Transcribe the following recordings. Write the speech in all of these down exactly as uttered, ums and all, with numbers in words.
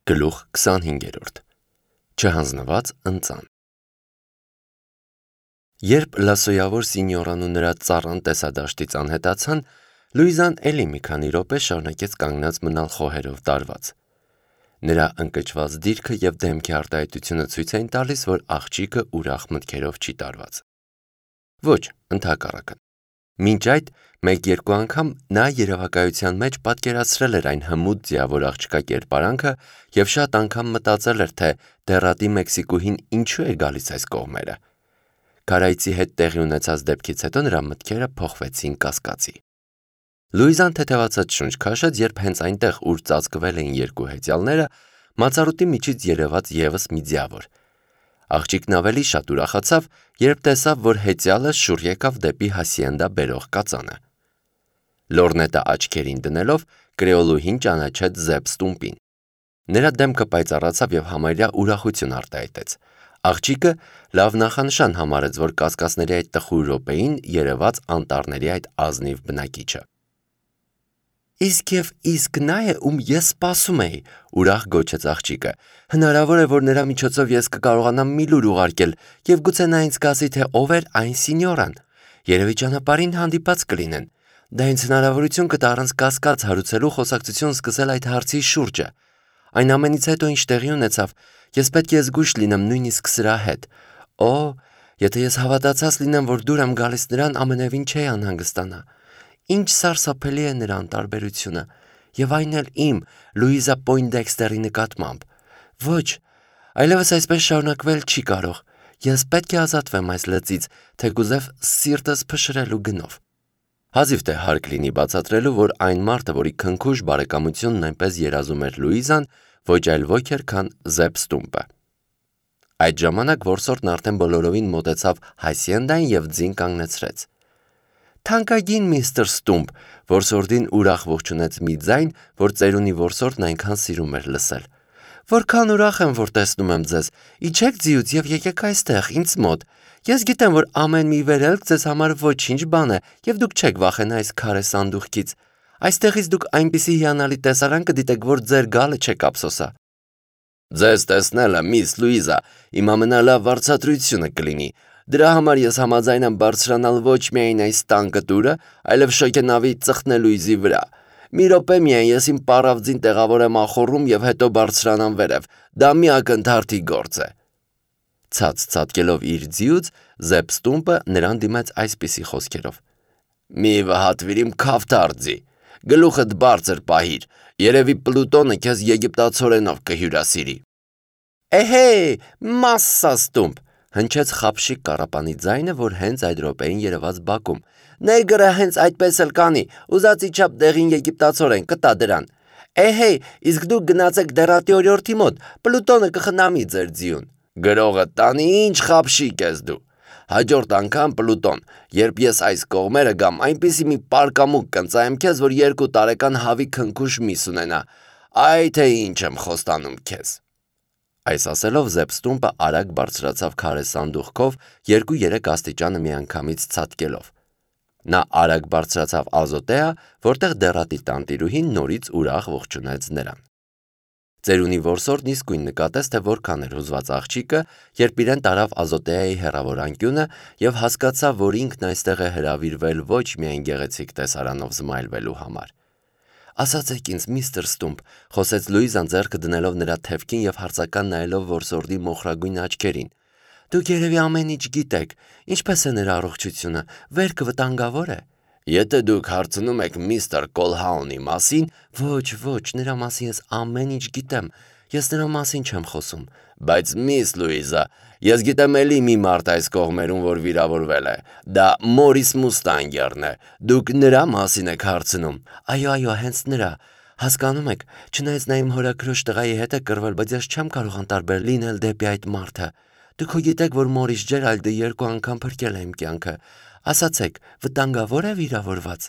Գլուխ քսանհինգերորդ Չհանձնված ընծան Երբ լասոյավոր սինյորան ու նրա ծառան տեսադաշտից անհետացան, Լուիզան էլի մի քանի րոպե շարունակեց կանգնած մնալ խոհերով տարված։ Նրա ընկճված դիրքը և դեմքի արտահայտությունը ցույց էին տալիս, որ աղջիկը ուրախ մտքերով չի տարված։ Ոչ, ընդհակառակը։ Մինչ այդ մեկ-երկու անգամ նա երևակայության մեջ պատկերացրել էր այն հմուտ ձիավոր աղջկա կերպարանքը և շատ անգամ մտածել էր, թե դեռատի Մեքսիկուհին ինչու է գալիս այս կողմերը։ Քարայցի հետ տեղի ունեցած դեպքից հետո նրա մտքերը փոխվեցին կասկածի։ Լուիզան թեթևացած շունչ քաշեց, երբ հենց այնտեղ, ուր ծածկվել էին երկու հեծյալները, մածառուտի միջից երևաց ևս մի ձիավոր։ Աղջիկն ավելի շատ ուրախացավ, երբ տեսավ, որ հեծյալը շուռ եկավ դեպի հասիենդա բերող կածանը։ Լորնետը աչքերին դնելով, կրեոլուհին ճանաչեց Զեբ Ստումպին։ Նրա դեմքը պայծառացավ և համարյա ուրախություն արտահայտեց։ Աղջիկը լավ նախանշան համարեց, որ կասկածների այդ տխուր րոպեին երևաց անտառների այդ ազնիվ բնակիչը։ Իսկ և իսկ նա է, ում ես սպասում էի, ուրախ գոչեց աղջիկը։ Հնարավոր է, որ նրա միջոցով ես կկարողանամ մի լուր ուղարկել և գուցե նա ինձ կասի, թե ով էր այն սինյորան։ Երևի ճանապարհին հանդիպած կլինեն։ Դա ինձ հնարավորություն կտա առանց կասկած հարուցելու խոսակցություն սկսել այդ հարցի շուրջը։ Այն ամենից հետո, ինչ տեղի ունեցավ, ես պետք է զգույշ լինեմ նույնիսկ սրա հետ։ Օ, եթե ես հավատացած լինեմ, որ դուր եմ գալիս նրան, ամենևին չէի անհանգստանա։ Ինչ սարսափելի է նրա անտարբերությունը, և այն էլ իմ, Լուիզա Պոյնդեքստերի նկատմամբ։ Ոչ, այլևս այսպես շարունակվել չի կարող։ Ես պետք է ազատվեմ այս լծից, թեկուզև սիրտս փշրելու գնով։ Հազիվ թե հարկ լինի բացատրելու, որ այն մարդը, որի քնքուշ բարեկամությունն այնպես երազում էր Լուիզան, ոչ այլ ոք էր, քան Զեբ Ստումպը։ Այդ ժամանակ որսորդն արդեն բոլորովին մոտեցավ հասիենդային և ձին կանգնեցրեց։ Թանկագին միստր Ստումպ, որսորդին ուրախ ողջունեց մի ձայն, որ ծերունի որսորդն այնքան սիրում էր լսել։ Որքան ուրախ եմ, որ տեսնում եմ ձեզ։ Իջեք ձիուց և եկեք այստեղ, ինձ մոտ։ Ես գիտեմ, որ ամեն մի վերելք ձեզ համար ոչինչ բան է, և դուք չեք վախենա այս քարե սանդուղքից։ Այստեղից դուք այնպիսի հիանալի տեսարան կդիտեք, որ ձեր գալը չեք ափսոսա։ Ձեզ տեսնելը, միս Լուիզա, իմ ամենալավ վարձատրությունը կլինի։ Դրա համար ես համաձայն եմ բարձրանալ ոչ միայն այս տանկտուրը, այլև շոգենավի ծխնելույզի վրա։ Մի րոպե միայն ես իմ պառավ ձին տեղավորեմ ախոռում և հետո բարձրանամ վերև։ Դա մի ակնթարթի գործ է։ Ցած ցատկելով իր ձիուց, Զեբ Ստումպը նրան դիմեց այսպիսի խոսքերով. Մի վհատվիր իմ քավթար ձի, գլուխդ բարձր պահիր, երևի Պլուտոնը քեզ եգիպտացորենով կհյուրասիրի։ Էհե, մասսա Ստումպ, հնչեց խաբշիկ կառապանի ձայնը, որ հենց այդ րոպեին երևաց բակում։ Նեգրը հենց այդպես էլ կանի, ուզած իչափ դեղին եգիպտացորեն կտա դրան։ Էհե, իսկ դուք գնացեք դեռատի օրիորդի մոտ, Պլուտոնը կխնամի ձեր ձիուն։ Գրողը տանի, ինչ խաբշիկ ես դու։ Հաջորդ անգամ Պլուտոն, երբ ես այս կողմերը գամ, այնպիսի մի պարկամուկ կընծայեմ քեզ, որ երկու տարեկան հավի քնքուշ միս ունենա։ Այ թե ինչ եմ խոստանում քեզ։ Այս ասելով Զեբ Ստումպը արագ բարձրացավ քարե սանդուղքով, երկու-երեք աստիճանը միանգամից ցատկելով։ Նա արագ բարձրացավ Ազոտեա, որտեղ դեռատի տանտիրուհին նորից ուրախ ողջունեց նրան։ Ծերունի որսորդն իսկույն նկատեց, թե որքան էր հուզված աղջիկը, երբ իրեն տարավ Ազոտեայի հեռավոր անկյունը և հասկացավ, որ ինքն այստեղ է հրավիրվել ոչ միայն գեղեցիկ տեսարանով զմայլվելու համար։ Ասացեք ինձ, միստր Ստումպ, խոսեց Լուիզան ձեռքը դնելով նրա թևքին և հարցական նայելով որսորդի մոխրագույն աչքերին։ Դուք երևի ամեն ինչ գիտեք, ինչպես է նրա առողջությունը, վերքը վտանգավոր է։ Եթե դուք հարցնում եք միստր Կոլհաունի մասին, ոչ, ոչ, նրա մասին ես ամեն ինչ գիտեմ, ես նրա մասին չեմ խոսում։ Բայց միս Լուիզա, ես գիտեմ էլի մի մարդ այս կողմերում, որ վիրավորվել է։ Դա Մորիս Մուստանգերն է։ Դուք նրա մասին եք հարցնում։ Այո, այո, հենց նրա։ Հասկանում եք, չնայած նա իմ հորաքրոջ տղայի հետ է կռվել, բայց ես չեմ կարող անտարբեր լինել դեպի այդ մարդը։ Դուք հո գիտեք, որ Մորիս Ջերալդը երկու անգամ փրկել է իմ կյանքը։ Ասացեք, վտանգավոր է վիրավորված։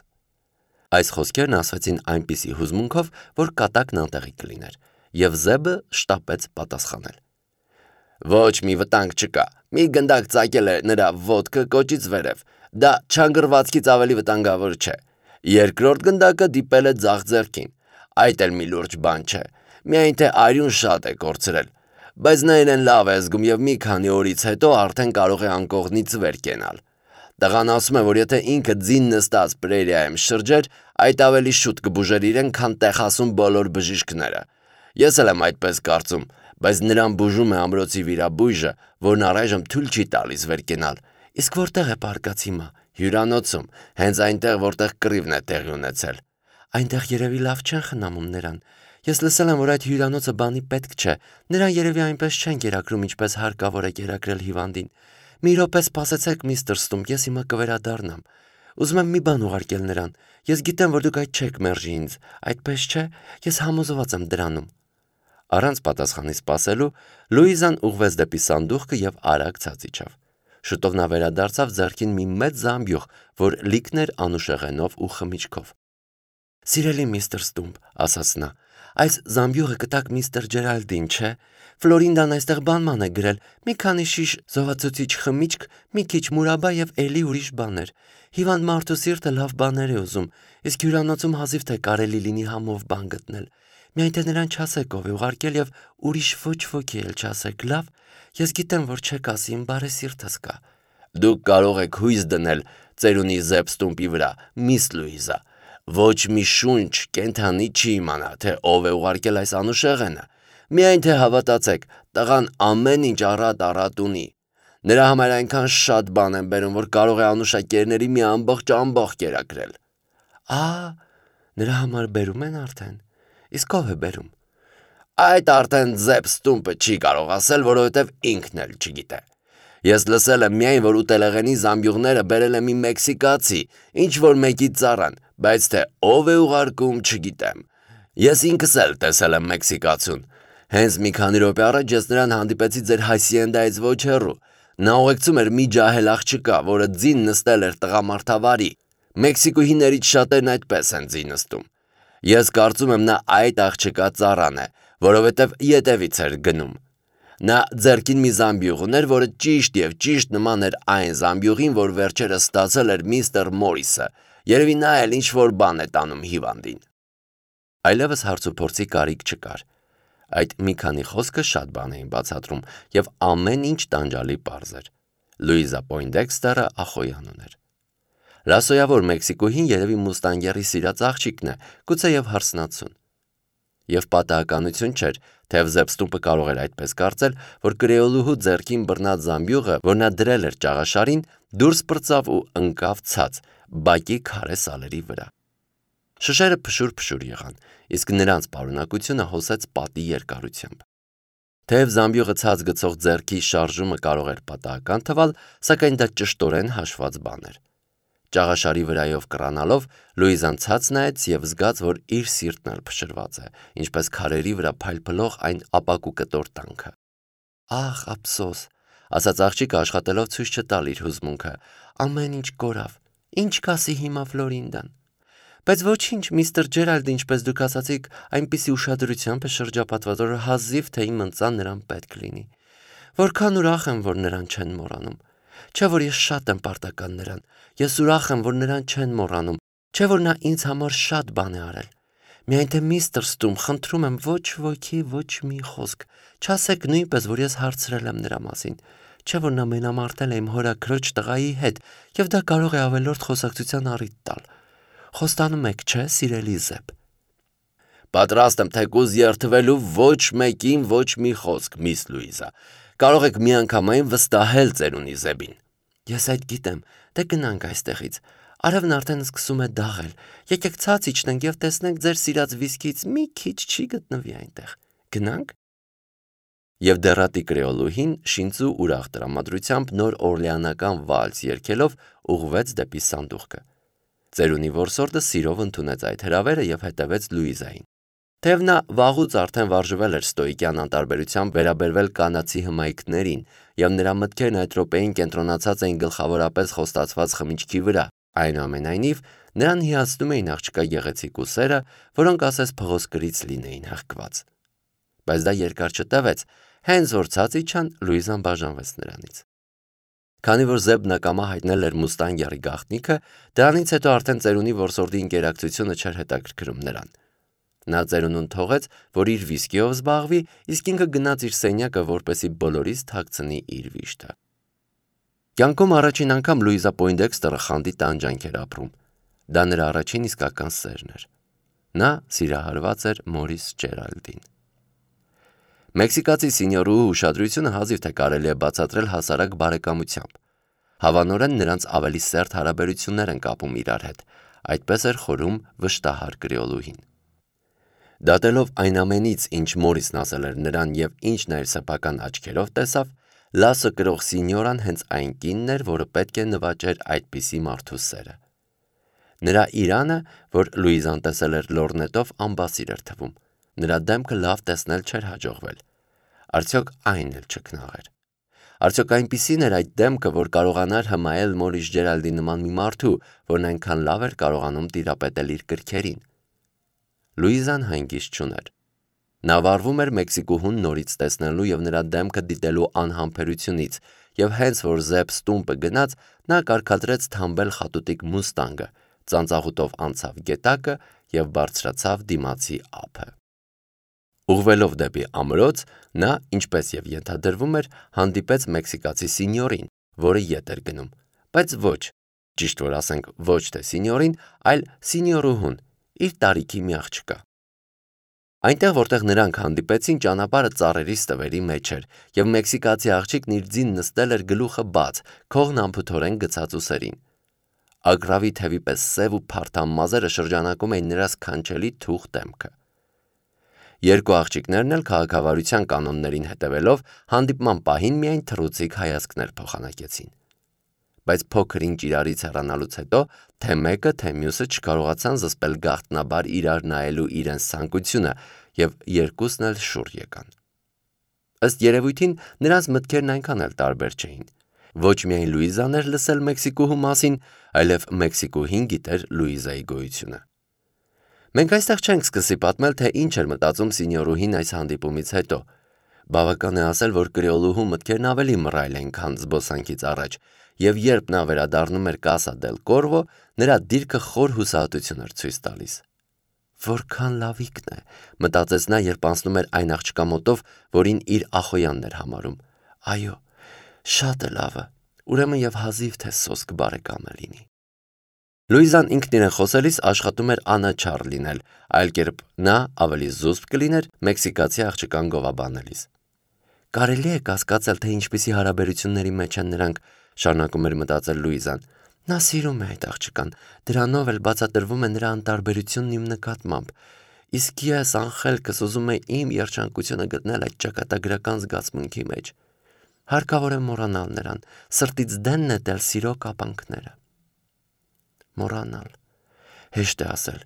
Այս խոսքերն ասվեցին այնպիսի հուզմունքով, որ կատակն անտեղի կլիներ, և Զեբը շտապեց պատասխանել։ Ոչ մի վտանգ չկա։ Մի գնդակ ծակել է նրա ոտքը կոճից վերև։ Դա չանգրվածքից ավելի վտանգավոր չէ։ Երկրորդ գնդակը դիպել է ձախ ձեռքին։ Այդ էլ մի լուրջ բան չէ։ Միայն թե արյուն շատ է կորցրել։ Բայց նա իրեն լավ է զգում եւ մի քանի օրից հետո արդեն կարող է անկողնից վեր կենալ։ Տղան ասում է, որ եթե ինքը ձին նստած պրերիայում շրջեր, այդ ավելի շուտ կբուժեր իրեն, քան Տեխասում բոլոր բժիշկները։ Ես էլ եմ այդպես կարծում, բայց նրան բուժում է ամրոցի վիրաբույժը, որն առայժմ թույլ չի տալիս վեր կենալ։ Իսկ որտեղ է պարկած հիմա։ Հյուրանոցում, հենց այնտեղ, որտեղ կռիվն է տեղի ունեցել։ Այնտեղ երևի լավ չեն խնամում նրան։ Ես լսել եմ, որ այդ հյուրանոցը բանի պետք չէ։ Նրան երևի այնպես չեն կերակրում, ինչպես հարկավոր է կերակրել հիվանդին։ Մի րոպե սպասեցեք, միստր Ստումպ, ես հիմա կվերադառնամ։ Ուզում եմ մի բան ուղարկել նրան։ Ես գիտեմ, որ դուք այդ չեք մերժի ինձ, այդպես չէ։ Ես համոզված եմ դրանում։ Առանց պատասխանի սպասելու, Լուիզան ուղղվեց դեպի սանդուղքը եւ արագ ցած իջավ։ Շուտով նա վերադարձավ ձեռքին մի մեծ զամբյուղ, որ լիքն էր անուշեղենով ու խմիչքով։ Սիրելի միստր Ստումպ, ասաց նա, այս զամբյուղը կտակ միստր Ջերալդին, չէ։ Ֆլորինդան այստեղ բանման է գրել, մի քանի շիշ զովացուցիչ խմիչք, մի քիչ մուրաբա եւ էլի ուրիշ բաներ։ Հիվանդ մարդու սիրտը լավ բաներ է ուզում, իսկ հյուրանոցում հազիվ թե կարելի լինի համով բան գտնել։ Միայն թե նրան չասեք ով է ուղարկել եւ ուրիշ ոչ ոքի էլ չասեք, լավ։ Ես գիտեմ, որ չեք ասի, իմ բարեսիրտս կա։ Դուք կարող եք հույս դնել ծերունի Զեբ Ստումպի վրա, միս Լուիզա։ Ոչ մի շունչ կենթանի չի իմանա, թե ով է ուղարկել այս անուշեղենը։ Միայն թե հավատացեք, տղան ամեն ինչ առատ-առատ ունի։ Նրա համար այնքան շատ բան են բերում, որ կարող է անուշակերների մի ամբողջ ամբողջ կերակրել։ Ահա, նրա համար բերում են արդեն։ Իսկ ով է բերում։ Այդ արդեն Զեբ Ստումպը չի կարող ասել, որովհետև ինքն էլ չգիտե։ Ես լսել եմ միայն, որ ուտելեղենի զամբյուղները բերել է մի մեքսիկացի, ինչ որ մեկի ծառան, բայց թե ով է ուղարկում, չգիտեմ։ Ես ինքս էլ տեսել եմ մեքսիկացուն։ Հենց մի քանի րոպե առաջ ես նրան հանդիպեցի ձեր հայսիենդայից ոչ հեռու։ Նա ուղեկցում էր մի ջահել աղջկա, որը ձին նստել էր տղամարդավարի։ Մեքսիկուհիներից շատերն այդպես են ձին նստում։ Ես կարծում եմ նա այդ աղջկա ծառան է, որովհետև ետևից էր գնում։ Նա ձեռքին մի զամբյուղ ուներ, որը ճիշտ եւ ճիշտ նման էր այն զամբյուղին, որ վերջերս ստացել էր միստր Մորիսը։ Երևի նա էլ ինչ-որ բան է տանում հիվանդին։ Այլևս հարցուփորձի կարիք չկար։ Այդ մի քանի խոսքը շատ բան էին բացատրում, եւ ամեն ինչ տանջալի պարզ էր։ Լուիզա Պոյնդեքստերը ախոյան ուներ։ Լասոյավոր Մեքսիկոհին երևի մուստանգերի սիրած աղջիկն է, գուցե եւ հարսնացուն։ Եվ պատահականություն չէր, թեև Զեբ Ստումպը կարող էր այդպես կարծել, որ կրեոլուհու ձեռքին բռնած զամբյուղը, որ նա դրել էր ճաղաշարին, դուրս պրծավ ու ընկավ ցած, բակի քարե սալերի վրա։ Շշերը փշուր-փշուր եղան, իսկ նրանց պարունակությունը հոսեց պատի երկարությամբ։ Թեև զամբյուղը ցած գցող ձեռքի շարժումը կարող էր պատահական թվալ, սակայն դա ճշտորեն հաշված բան էր։ Ճաղաշարի վրայով կռանալով Լուիզան ցած նայեց եւ զգաց, որ իր սիրտն էլ փշրված է, ինչպես քարերի վրա փայլփլող այն ապակու կտոր տանքը։ Ախ, ափսոս, ասաց աղջիկը աշխատելով ցույց չտալ իր հուզմունքը։ Ամեն ինչ կորավ։ Ինչ կասի հիմա Ֆլորինդան։ Բայց ոչինչ, միստր Ջերալդը, ինչպես դուք ասացիք, այնպիսի ուշադրությամբ է շրջապատված, որ հազիվ թե իմ ընծան նրան պետք լինի։ Որքան ուրախ եմ, որ նրան չեն մոռանում։ Չէ՞ որ ես շատ եմ պարտական նրան։ Ես ուրախ եմ, որ նրան չեն մոռանում։ Չէ՞ որ նա ինձ համար շատ բան է արել։ Միայն թե միստր Ստումպ, խնդրում եմ, ոչ ոքի, ոչ մի խոսք։ Չասեք նույնպես, որ ես հարցրել եմ նրա մասին։ Չէ՞ որ նա մենամարտել է իմ հորաքրոջ տղայի հետ, եւ դա կարող է ավելորդ խոսակցության առիթ տալ։ Խոստանում եք, չէ, սիրելի Զեբ։ Պատրաստ եմ թեկուզ երթվելու ոչ մեկին ոչ մի խոսք, միս Լուիզա։ Կարող եք միանգամայն վստահել ծերունի Զեբին։ Ես այդ գիտեմ, դե գնանք այստեղից։ Արևն արդեն սկսում է դաղել։ Եկեք ցած իջնենք եւ տեսնենք ձեր սիրած վիսկից մի քիչ չի գտնվի այնտեղ։ Գնանք։ Եվ դեռատի կրեոլուհին շինծու ուրախ տրամադրությամբ նոր օրլեանական վալս երգելով ուղղվեց դեպի սանդուղքը։ Ծերունի որսորդը սիրով ընդունեց այդ հրավերը եւ հետևեց Լուիզային։ Թեև նա վաղուց արդեն վարժվել էր ստոիկյան անտարբերությամբ վերաբերվել կանացի հմայքներին, եւ նրա մտքերն այդ րոպեին կենտրոնացած էին գլխավորապես խոստացված խմիչքի վրա, այնուամենայնիվ նրան հիացնում էին աղջկա գեղեցիկ ուսերը, որոնք ասես փղոսկրից լինեին հղկված։ Բայց դա երկար չտևեց, հենց որ ցած իջան, Լուիզան բաժանվեց նրանից։ Քանի որ Զեբն ակամա հայտնել էր մուստանգյարի գաղտնիքը, դրանից հետո արդեն ծերունի որսորդի ինկերակցությունը չէր հետաքրքրում նրան։ Նա ծերունուն թողեց, որ իր վիսկիով զբաղվի, իսկ ինքը գնաց իր սենյակը, որպեսզի բոլորից թաքցնի իր վիշտը։ Կյանքում առաջին անգամ Լուիզա Պոինդեքստերը խանդի տանջանք էր ապրում։ Դա նրա առաջին իսկական սերն էր։ Նա սիրահարված էր Մորիս Ջերալդին։ Մեքսիկացի սինյորուհու ուշադրությունը հազիվ թե կարելի է բացատրել հասարակ բարեկամությամբ։ Հավանորեն նրանց ավելի սերտ հարաբերություններ են կապում իրար հետ, այդպես էր խորում վշտահար կրեոլուհին։ Դատելով այն ամենից, ինչ Մորիսն ասել էր նրան և ինչ նա իր սեփական աչքերով տեսավ, լասը կրող սինյորան հենց այն կինն էր, որը պետք է նվաճեր այդպիսի մարդու սերը։ Նրա իրանը, որ Լուիզան տեսել էր լորնետով, անբասիր էր թվում։ Նրա դեմքը լավ տեսնել չէր հաջողվել։ Արդյոք այն էլ չքնաղ էր։ Արդյոք այնպիսին էր այդ դեմքը, որ կարողանար հմայել Մորիս Ջերալդի նման մի մարդու, որն այնքան լավ էր կարողանում տիրապետել իր կրքերին։ Լուիզան հանգիստ չուներ։ Նա վարվում էր Մեքսիկուհուն նորից տեսնելու և նրա դեմքը դիտելու անհամբերությունից, և հենց որ Զեփ Ստումպը գնաց, նա կարգադրեց թամբել խատուտիկ մուստանգը, ծանծաղուտով անցավ գետակը և բարձրացավ դիմացի ափը։ Ուղղվելով դեպի ամրոց, նա, ինչպես և ենթադրվում էր, հանդիպեց մեքսիկացի սինյորին, որը ետ էր գնում, բայց ոչ, ճիշտ որ ասենք ոչ թե սինյորին, այլ սինյորուհուն, իր տարիքի մի աղջկա։ Այնտեղ, որտեղ նրանք հանդիպեցին, ճանապարհը ծառերի ստվերի մեջ էր, և մեքսիկացի աղջիկն իր ձին նստել էր գլուխը բաց, քողն անփութորեն գցած ուսերին։ Ագռավի թևի պես սև ու փարթամ մազերը շրջանակում էին նրա սքանչելի թուխ դեմքը։ Երկու աղջիկներն էլ քաղաքավարության կանոններին հետևելով հանդիպման պահին միայն թռուցիկ հայացքներ փոխանակեցին։ Բայց փոքր ինչ իրարից հեռանալուց հետո թե մեկը, թե մյուսը չկարողացան զսպել գաղտնաբար իրար նայելու իրենց ցանկությունը և երկուսն էլ շուռ եկան։ Ըստ երևույթին նրանց մտքերն այնքան էլ տարբեր չէին։ Ոչ միայն Լուիզան էր լսել Մեքսիկուհու մասին, այլև Մեքսիկուհին գիտեր Լուիզայի գոյությունը։ Մենք այստեղ չենք սկսի պատմել, թե ինչ էր մտածում սինյորուհին այս հանդիպումից հետո։ Բավական է ասել, որ կրեոլուհու մտքերն ավելի մռայլ են, քան զբոսանքից առաջ, և երբ նա վերադառնում էր Կասա դել Կորվո, նրա դիրքը խոր հուսահատություն էր ցույց տալիս։ Որքան լավիկն է, մտածեց նա, երբ անցնում էր այն աղջկա մոտով, որին իր ախոյանն էր համարում։ Այո, շատ է լավը, ուրեմն և հազիվ թե սոսկ բարեկամը լինի։ Լուիզան ինքն իրեն խոսելիս աշխատում էր անաչառ լինել, այլ կերպ նա ավելի զուսպ կլիներ մեքսիկացի աղջկան գովաբանելիս։ Կարելի է կասկածել, թե ինչպիսի հարաբերությունների մեջ են նրանք, շարունակում էր մտածել Լուիզան։ Նա սիրում է այդ աղջկան, դրանով էլ բացատրվում է նրա անտարբերությունն իմ նկատմամբ, իսկ ես անխելքս ուզում եմ իմ երջանկությունը գտնել այդ ճակատագրական զգացմունքի մեջ։ Հարկավոր է մոռանալ նրան, սրտից դեն նետել սիրո կապանքները։ Մոռանալ։ Հեշտ է ասել,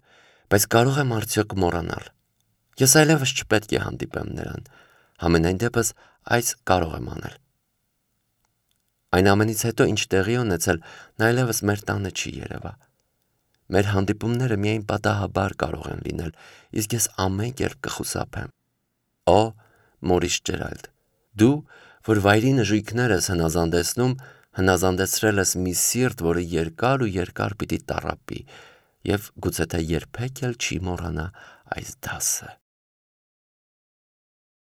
բայց կարող եմ արդյոք մոռանալ։ Ես այլևս չպետք է հանդիպեմ նրան, համենայն դեպս այս կարող եմ անել։ Այն ամենից հետո, ինչ տեղի ունեցել, նա այլևս մեր տանը չի երևա։ Մեր հանդիպումները միայն պատահաբար կարող են լինել, իսկ ես ամեն կերպ կխուսափեմ։ Օ, Մորիս Ջերալդ, դու, որ վայրի նժույգներս հնազանդեցնում, հնազանդեցրել ես մի սիրտ, որը երկար ու երկար պիտի տառապի, և գուցե թե երբեք էլ չի մոռանա այս դասը։